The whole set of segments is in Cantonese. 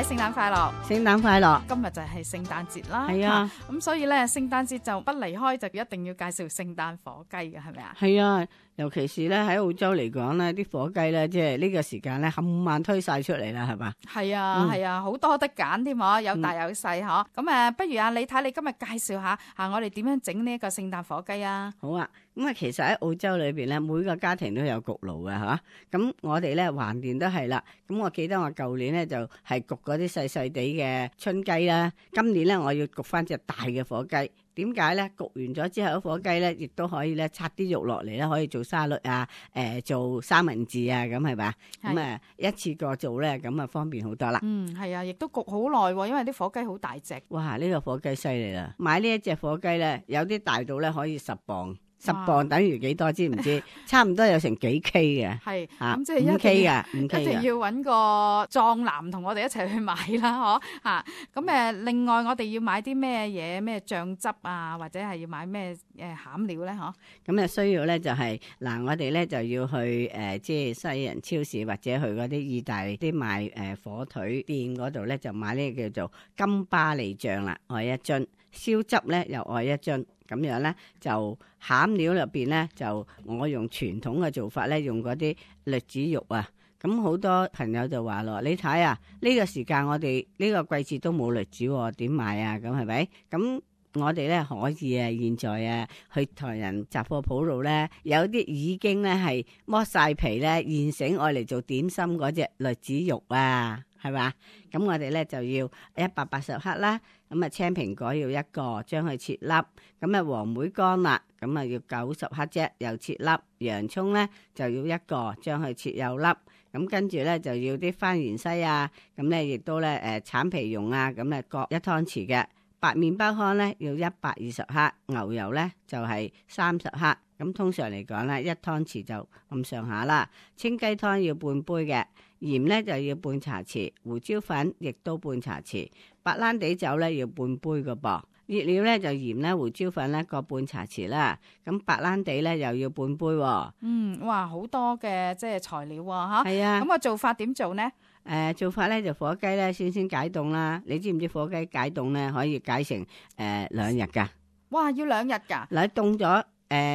太聖誕快樂！聖誕快樂！今日就係聖誕節啦，係啊，咁所以咧聖誕節就不離開就一定要介紹聖誕火雞嘅，係咪啊？係啊，尤其是咧喺澳洲嚟講咧，啲火雞咧即係呢個時間咧冚唪推晒出嚟啦，係嘛？係啊，係啊，好多得揀添嗬，有大有細嗬。咁不如啊，你睇你今日介紹下我哋點樣整呢一個聖誕火雞啊？好啊，咁啊，其實喺澳洲裏邊咧，每個家庭都有焗爐嘅嚇。咁我哋咧橫掂都係啦。咁我記得我舊年咧就係焗嗰啲細細地嘅春雞啦。今年咧我要焗翻隻大嘅火雞。點解咧？焗完咗之後，啲火雞咧亦都可以咧拆啲肉落嚟咧，可以做沙律啊，做三文治啊，咁係咪？咁一次過做咧，咁啊方便好多啦。係啊，亦都焗好耐喎，因為啲火雞好大隻。哇！呢個火雞犀利啦！買呢一隻火雞咧，有啲大到咧可以10磅。10磅等於幾多？知唔知？差唔多有成幾 K 嘅。係咁即係5 K 嘅，5 K 一定要揾個壯男同我哋一齊去買啦，嗬嚇！咁另外我哋要買啲咩嘢？咩醬汁啊，或者係要買咩餡料咧？嗬？咁需要咧就係嗱，我哋咧就要去即係西人超市或者去嗰啲意大利啲賣火腿店嗰度咧，就買呢個叫做金巴利醬啦，愛1樽；燒汁咧又愛1樽。咁樣咧就餡料入邊咧就我用傳統嘅做法咧，用嗰啲栗子肉啊。咁好多朋友就話咯，你睇啊，呢個時間我哋呢個季節都冇栗子喎，點買啊？咁係咪？咁我哋咧可以啊，現在啊去唐人雜貨鋪度咧，有啲已經咧係剝晒皮咧，現成愛嚟做點心嗰隻栗子肉啊，係嘛？咁我哋咧就要180克啦。咁青蘋果要1個，將佢切粒。咁黃梅乾啦，咁要90克啫，又切粒。洋蔥咧就要1個，將佢切幼粒。咁跟住咧就要啲番芫茜啊，咁咧亦都咧橙皮蓉啊，咁咧各1湯匙嘅。白麵包糠咧要120克，牛油咧就係30克。咁通常嚟講咧，1湯匙就咁上下啦。清雞湯要半杯嘅，鹽咧就要半茶匙，胡椒粉亦都半茶匙，白蘭地酒咧要半杯嘅噃。熱料咧就鹽咧、胡椒粉咧各半茶匙啦。咁白蘭地咧又要半杯喎。哇，好多嘅即係材料喎，嚇。係啊。咁個做法點做呢？做法咧就火雞咧先解凍啦。你知唔知火雞解凍咧可以解成2日㗎？哇，要2日㗎？嗱，凍咗。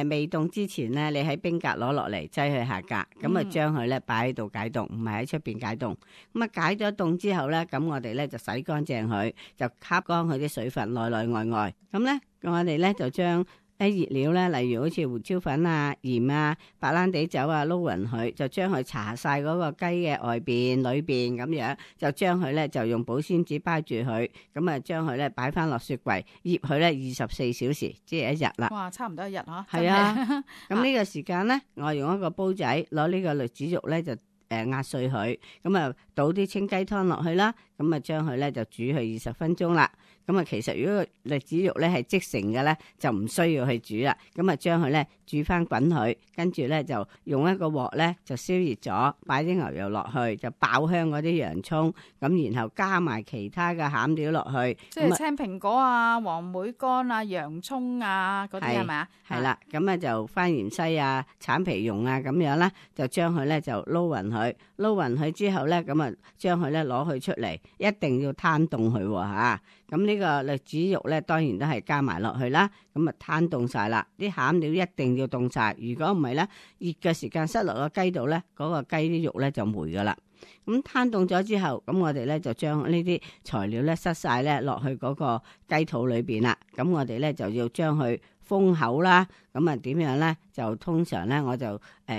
未凍之前咧，你喺冰格攞落嚟，擠去下格，咁啊將佢咧擺喺度解凍，唔係喺出邊解凍。咁啊解咗凍之後咧，咁我哋咧就洗乾淨佢，就吸乾佢啲水分，內內外外。咁咧我哋咧就將熱料咧，例如好似胡椒粉啊、鹽啊、白蘭地酒啊，撈勻佢，就將佢搽晒嗰個雞嘅外邊、裏邊咁樣，就將佢咧就用保鮮紙包住佢，咁啊將佢咧擺翻落雪櫃，醃佢咧24小時，即係1日啦。哇，差唔多1日嗬。係啊，咁呢個時間咧，我用一個煲仔，攞呢個栗子肉咧就壓碎佢，咁啊倒啲清雞湯落去啦，咁啊將佢咧就煮佢20分鐘啦。咁啊，其實如果栗子肉咧係即成嘅咧，就唔需要去煮啦。咁啊，將佢咧煮翻滾佢，跟住咧就用一個鑊咧就燒熱咗，擺啲牛油落去，就爆香嗰啲洋葱，咁然後加埋其他嘅餡料落去，即係青蘋果啊、黃梅乾啊、洋葱啊嗰啲係咪啊？係啦，咁啊就番芫茜啊、橙皮蓉啊咁樣啦，就將佢咧就撈勻佢，撈勻佢之後咧，咁啊將佢咧攞佢出嚟，一定要攤凍佢嚇。咁呢個栗子肉咧，當然都係加埋落去啦。咁啊攤凍晒啦，啲餡料一定要凍晒。如果唔係咧，熱嘅時間塞落個雞度咧，嗰個雞啲肉咧就霉噶啦。咁攤凍咗之後，咁我哋咧就將呢啲材料咧塞晒咧落去嗰個雞肚裏邊啦。咁我哋咧就要將佢封口啦。咁啊點樣咧？就通常咧我就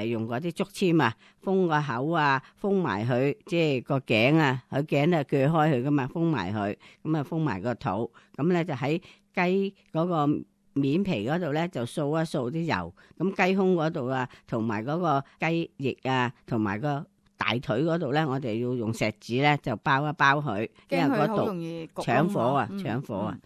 用嗰啲竹籤啊，封個口啊，封埋佢，即係個頸啊，佢頸咧鋸開佢噶嘛，封埋佢，咁啊封埋個肚。咁咧就喺雞嗰個面皮嗰度咧就掃一掃啲油。咁雞胸嗰度啊，同埋嗰個雞翼啊，同埋個大腿嗰度咧，我哋要用錫紙咧就包一包佢，因為嗰度搶火啊，搶火啊。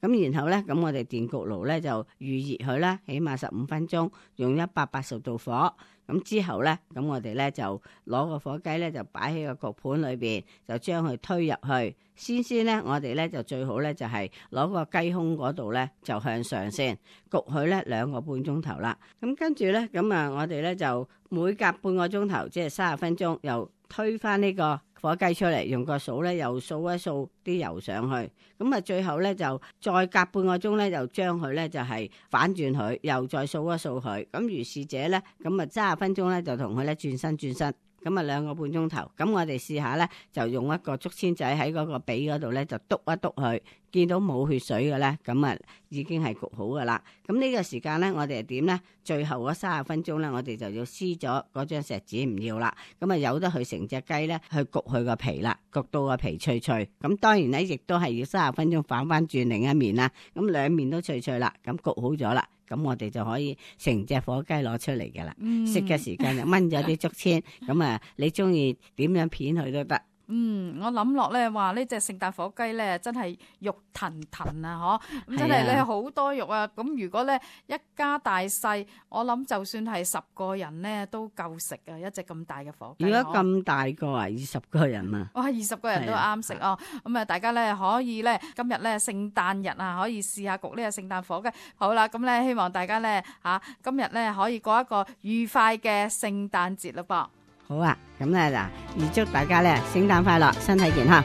咁然後咧，咁我哋電焗爐咧就預熱佢啦，起碼15分鐘，用180度火。咁之後咧，咁我哋咧就攞個火雞咧就擺喺個焗盤裏邊，就將佢推入去。先咧，我哋咧就最好咧就係攞個雞胸嗰度咧就向上先焗佢咧2個半鐘頭啦。咁跟住咧，咁啊我哋咧就每隔半個鐘頭，即係30分鐘，又推翻呢個火雞出嚟，用個掃咧又掃一掃啲油上去，咁啊最後咧就再隔半個鐘咧，就將佢咧就係反轉佢，又再掃一掃佢，咁如是者咧，咁啊30分鐘咧就同佢咧轉身。咁啊2個半鐘頭，咁我哋試下咧，就用一個竹籤仔喺嗰個髀嗰度咧，就篤一篤佢，見到冇血水嘅咧，咁啊已經係焗好噶啦。咁呢個時間咧，我哋係點咧？最後嗰30分鐘咧，我哋就要撕咗嗰張錫紙唔要啦。咁啊由得佢成隻雞咧去焗佢個皮啦，焗到個皮脆脆。咁當然咧，亦都係要30分鐘反翻轉另一面啦。咁兩面都脆脆啦，咁焗好咗啦。咁我哋就可以成隻火雞攞出嚟嘅啦。食嘅時間就炆咗啲竹籤，咁啊你中意點樣片佢都得。我諗落咧，話呢隻聖誕火雞咧，真係肉騰騰啊，嗬！咁真係咧好多肉啊！咁如果咧一家大細，我諗就算係10個人咧都夠食啊！一隻咁大嘅火雞。如果咁大個啊，20個人啊，哇！20個人都啱食哦。咁啊，大家咧可以咧今日咧聖誕日啊，可以試下焗呢個聖誕火雞。好啦，咁咧希望大家咧今日咧可以過一個愉快嘅聖誕節咯噃。好啊，咁咧嗱，預祝大家咧聖誕快樂，身體健康。